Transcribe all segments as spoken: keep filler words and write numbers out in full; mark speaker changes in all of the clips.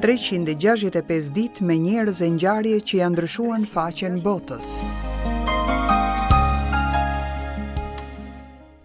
Speaker 1: treqind e gjashtëdhjetë e pesë ditë me njerëz e ngjarje që janë ndryshuar në faqen botës.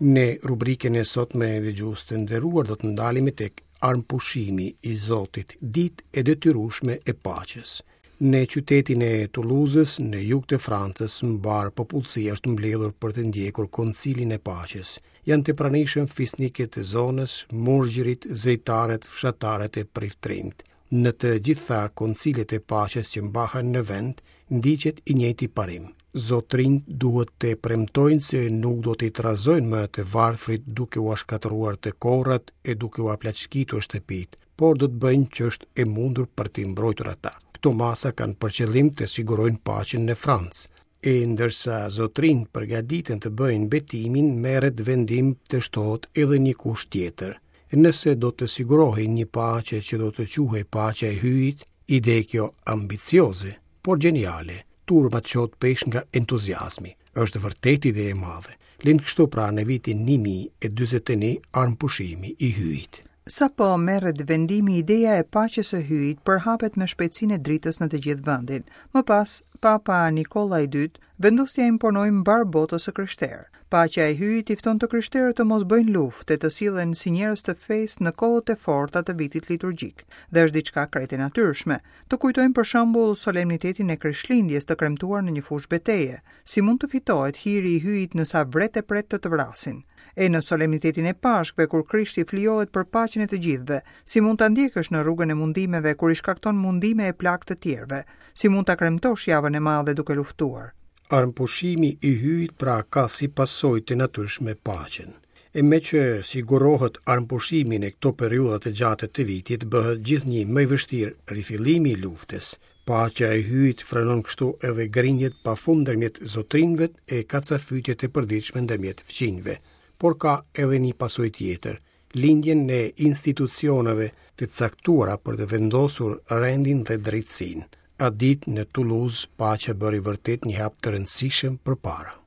Speaker 2: Në rubrikën e sotme, dëgjues të nderuar, do të ndalemi tek armëpushimi i Zotit, ditë e detyrueshme e paqes. Në qytetin e Toulouse-s, në jug të Francës, mbar popullsia është mbledhur për të ndjekur koncilin e paqes. Janë të pranishëm fisnikët e zonës, murgjërit, zejtarët, fshatarët e priftrinjtë. Në të gjitha koncilet e paqes që mbahen në vend, ndiqet i njëjti parim. Zotrinjt duhet të premtojnë se nuk do t'i trazojnë më të varfrit duke ua shkatërruar të korrat e duke ua plaçkitur shtëpitë, por do të bëjnë ç'është e mundur për t'i mbrojtur ata. Këto masa kanë për qëllim të sigurojnë paqen në Francë. E ndërsa zotrinjt përgatiten të bëjnë betimin, merret vendim të shtohet edhe një kusht tjetër. Nëse do të sigurohej një paqe që do të quhej paqja e Hyjit, ide kjo ambicioze, por gjeniale, turma çohet peshë nga entuziazmi. Është vërtet ide e madhe. Lind kështu pra në vitin një mijë e dyzet e një armëpushimi i Hyjit.
Speaker 1: Sapo merret vendimi, ideja e paqes së Hyjit përhapet me shpejtësinë e dritës në të gjithë vendin. Më pas, Papa Nikolla i dytë vendos t'ia imponojë mbar botës së krishterë. Paqja e Hyjit i fton të krishterët të mos bëjnë luftë e të sillen si njerëz të fesë në kohët e forta të vitit liturgjik. Dhe është diçka krejt e natyrshme. Të kujtojmë për shembull solemnitetin e Krishtlindjes të kremtuar në një fushë beteje. Si mund të fitohet hiri i Hyjit nësa vret e pret të të vrasin? E në solemnitetin e Pashkëve, kur Krishti flijohet për paqen e të gjithëve, si mund ta ndjekësh në rrugën e mundimeve kur i shkakton mundime e plagë të tjerëve? Si mund ta kremtosh javën e madhe duke luftuar?
Speaker 2: Armëpushimi i Hyjit pra ka si pasojë të natyrshme paqen. E me që sigurohet armëpushimi në këto periudha të gjata të vitit, bëhet gjithnjë më i vështirë rifillimi i luftës. Paqja e Hyjit frenon kështu edhe grindjet pafund ndërmjet zotrinjve e kacafytjet e përditshme ndërmjet fqinjve. Por ka edhe një pasojë tjetër, lindjen e institucioneve të caktuara për të vendosur rendin dhe drejtësinë. Atë ditë në Toulouse, paqja bëri vërtet një hap të rëndësishëm përpara.